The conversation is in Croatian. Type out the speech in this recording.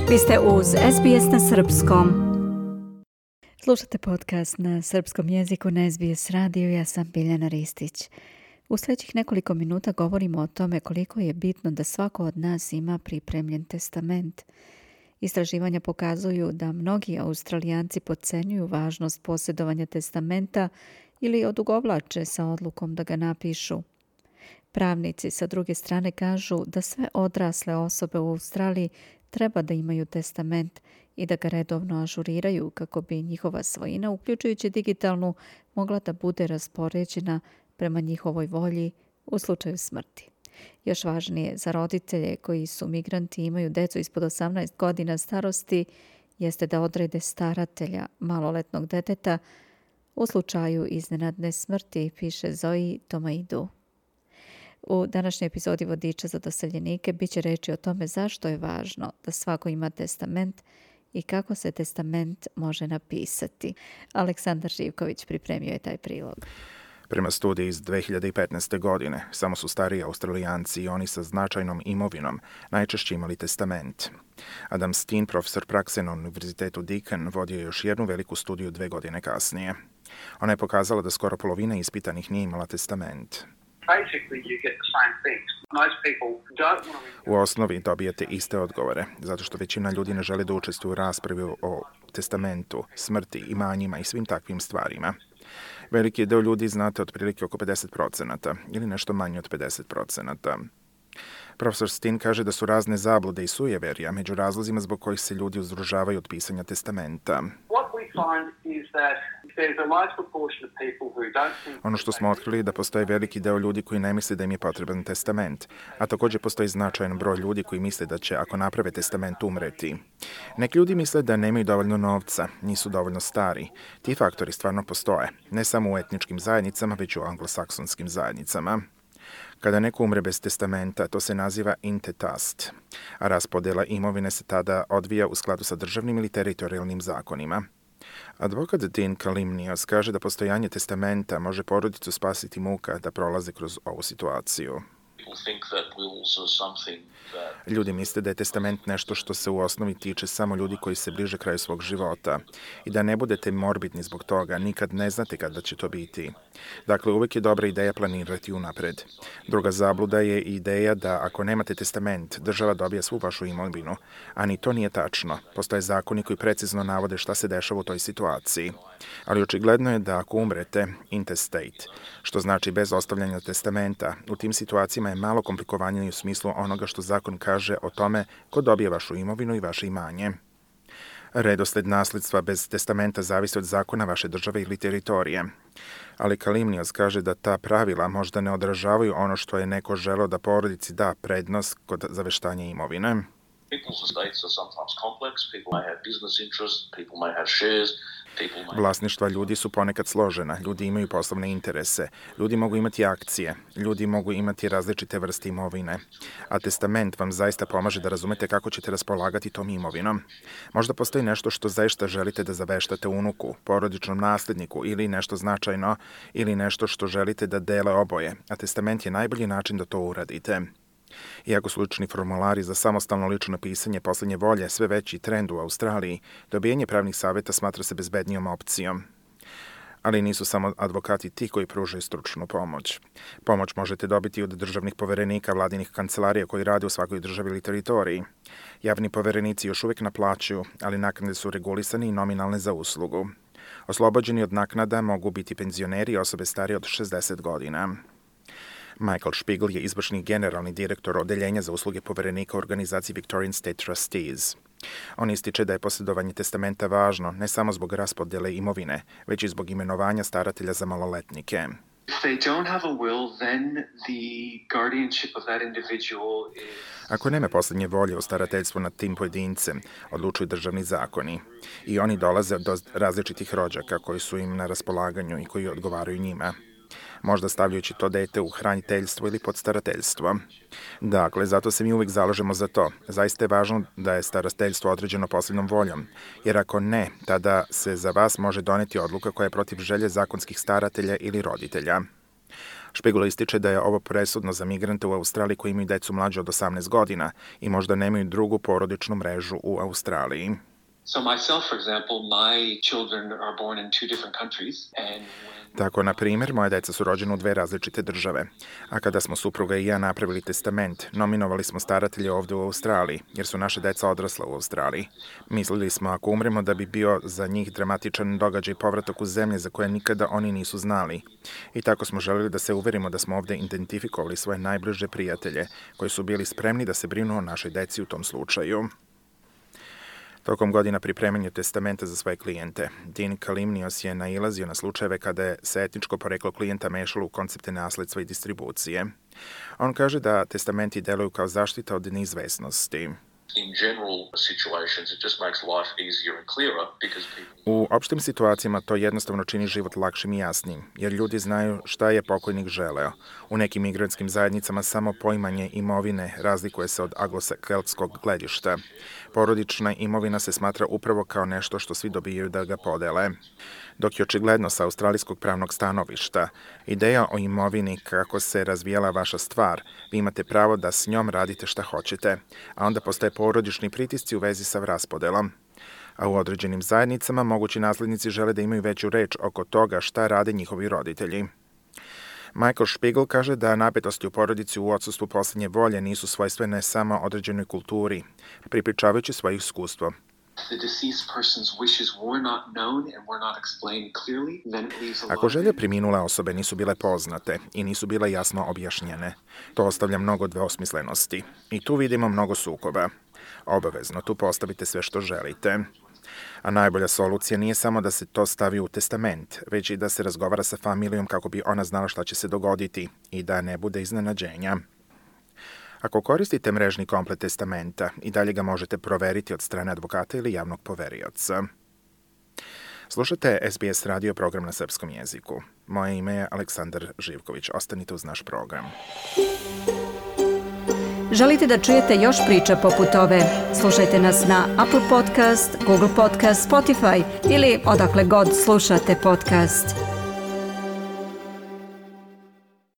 Vi ste uz SBS na srpskom. Slušate podcast na srpskom jeziku na SBS radiju. Ja sam Biljana Ristić. U sljedećih nekoliko minuta govorimo o tome koliko je bitno da svako od nas ima pripremljen testament. Istraživanja pokazuju da mnogi Australijanci podcenjuju važnost posjedovanja testamenta ili odugovlače sa odlukom da ga napišu. Pravnici sa druge strane kažu da sve odrasle osobe u Australiji treba da imaju testament i da ga redovno ažuriraju kako bi njihova svojina, uključujući digitalnu, mogla da bude raspoređena prema njihovoj volji u slučaju smrti. Još važnije za roditelje koji su migranti i imaju decu ispod 18 godina starosti jeste da odrede staratelja maloletnog deteta u slučaju iznenadne smrti, piše Zoe Tomaidu. U današnjoj epizodi Vodiča za doseljenike bit će reći o tome zašto je važno da svako ima testament i kako se testament može napisati. Aleksandar Živković pripremio je taj prilog. Prema studiji iz 2015. godine, samo su stariji Australijanci i oni sa značajnom imovinom najčešće imali testament. Adam Steen, profesor prakse na Univerzitetu Deakin, vodio je još jednu veliku studiju 2 godine kasnije. Ona je pokazala da skoro polovina ispitanih nije imala testament. U osnovi dobijete iste odgovore, zato što većina ljudi ne žele da učestvuju u raspravi o testamentu, smrti, imanjima i svim takvim stvarima. Veliki deo ljudi znate otprilike oko 50% ili nešto manje od 50%. Profesor Steen kaže da su razne zablude i sujeverja među razlozima zbog kojih se ljudi uzdržavaju od pisanja testamenta. Ono što smo otkrili je da postoji veliki deo ljudi koji ne misle da im je potreban testament, a također postoji značajan broj ljudi koji misle da će, ako naprave testament, umreti. Neki ljudi misle da nemaju dovoljno novca, nisu dovoljno stari. Ti faktori stvarno postoje, ne samo u etničkim zajednicama, već i u anglosaksonskim zajednicama. Kada neko umre bez testamenta, to se naziva intestat, a raspodjela imovine se tada odvija u skladu sa državnim ili teritorijalnim zakonima. Advokat Dean Kalimnios kaže da postojanje testamenta može porodicu spasiti muka da prolaze kroz ovu situaciju. Ljudi misle da je testament nešto što se u osnovi tiče samo ljudi koji se bliže kraju svog života i da ne budete morbidni zbog toga, nikad ne znate kada će to biti. Dakle, uvijek je dobra ideja planirati unapred. Druga zabluda je ideja da ako nemate testament, država dobija svu vašu imovinu, a ni to nije tačno. Postoje zakoni koji precizno navode šta se dešava u toj situaciji. Ali očigledno je da ako umrete intestate, što znači bez ostavljanja testamenta, u tim situacijama je malo komplikovanije u smislu onoga što zakon kaže o tome ko dobije vašu imovinu i vaše imanje. Redosled nasljedstva bez testamenta zavisi od zakona vaše države ili teritorije. Ali Kalimnios kaže da ta pravila možda ne odražavaju ono što je neko želeo da porodici da prednost kod zaveštanja imovine. Vlasništva ljudi su ponekad složena, ljudi imaju poslovne interese, ljudi mogu imati akcije, ljudi mogu imati različite vrste imovine, a testament vam zaista pomaže da razumete kako ćete raspolagati tom imovinom. Možda postoji nešto što zaista želite da zaveštate unuku, porodičnom nasljedniku ili nešto značajno ili nešto što želite da dele oboje, a testament je najbolji način da to uradite. Iako su lični formulari za samostalno lično pisanje poslednje volje sve veći trend u Australiji, dobijanje pravnih savjeta smatra se bezbednijom opcijom. Ali nisu samo advokati ti koji pružaju stručnu pomoć. Pomoć možete dobiti od državnih poverenika, vladinih kancelarija koji rade u svakoj državi ili teritoriji. Javni poverenici još uvijek naplaćuju, ali naknade su regulisane i nominalne za uslugu. Oslobođeni od naknada mogu biti penzioneri i osobe starije od 60 godina. Michael Spiegel je izvršni generalni direktor odeljenja za usluge poverenika u organizaciji Victorian State Trustees. On ističe da je posjedovanje testamenta važno ne samo zbog raspodjele imovine, već i zbog imenovanja staratelja za maloletnike. Ako nema posljednje volje u starateljstvu nad tim pojedincem, odlučuju državni zakoni. I oni dolaze do različitih rođaka koji su im na raspolaganju i koji odgovaraju njima. Možda stavljajući to dete u hraniteljstvo ili podstarateljstvo. Dakle, zato se mi uvijek zalažemo za to. Zaista je važno da je starateljstvo određeno posljednom voljom, jer ako ne, tada se za vas može doneti odluka koja je protiv želje zakonskih staratelja ili roditelja. Špigl ističe da je ovo presudno za migrante u Australiji koji imaju decu mlađe od 18 godina i možda nemaju drugu porodičnu mrežu u Australiji. So myself, for example, my children are born in two different countries, and Tako, na primjer, moje deca su rođene u 2 različite države. A kada smo supruga i ja napravili testament, nominovali smo staratelje ovde u Australiji, jer su naše deca odrasla u Australiji. Mislili smo, ako umremo, da bi bio za njih dramatičan događaj povratak u zemlje za koje nikada oni nisu znali. I tako smo želeli da se uverimo da smo ovde identifikovali svoje najbliže prijatelje, koji su bili spremni da se brinu o našoj deci u tom slučaju. Tokom godina pripremanja testamenta za svoje klijente, Dean Kalimnios je nailazio na slučajeve kada je se etničko poreklo klijenta mešalo u koncepte nasledstva i distribucije. On kaže da testamenti deluju kao zaštita od neizvesnosti. in general situations, it just makes life easier and clearer because people... U opštim situacijama to jednostavno čini život lakšim i jasnim, jer ljudi znaju šta je pokojnik želeo. U nekim migrantskim zajednicama samo poimanje imovine razlikuje se od anglosakeltskog gledišta. Porodična imovina se smatra upravo kao nešto što svi dobijaju da ga podele. Dok je očigledno sa australijskog pravnog stanovišta ideja o imovini kako se razvijala vaša stvar, vi imate pravo da s njom radite šta hoćete, a onda postoje porodični pritisci u vezi sa raspodelom. A u određenim zajednicama mogući naslednici žele da imaju veću reč oko toga šta rade njihovi roditelji. Michael Špigl kaže da napetosti u porodici u odsustvu poslednje volje nisu svojstvene samo određenoj kulturi, pripričavajući svoje iskustvo. Ako želje preminule osobe nisu bile poznate i nisu bile jasno objašnjene, to ostavlja mnogo dvosmislenosti. I tu vidimo mnogo sukoba. Obavezno tu postavite sve što želite. A najbolja solucija nije samo da se to stavi u testament, već i da se razgovara sa familijom kako bi ona znala šta će se dogoditi i da ne bude iznenađenja. Ako koristite mrežni komplet testamenta, i dalje ga možete proveriti od strane advokata ili javnog poverioca. Slušate SBS radio program na srpskom jeziku. Moje ime je Aleksandar Živković. Ostanite uz naš program. Želite da čujete još priča poput ove? Slušajte nas na Apple Podcast, Google Podcast, Spotify ili odakle god slušate podcast.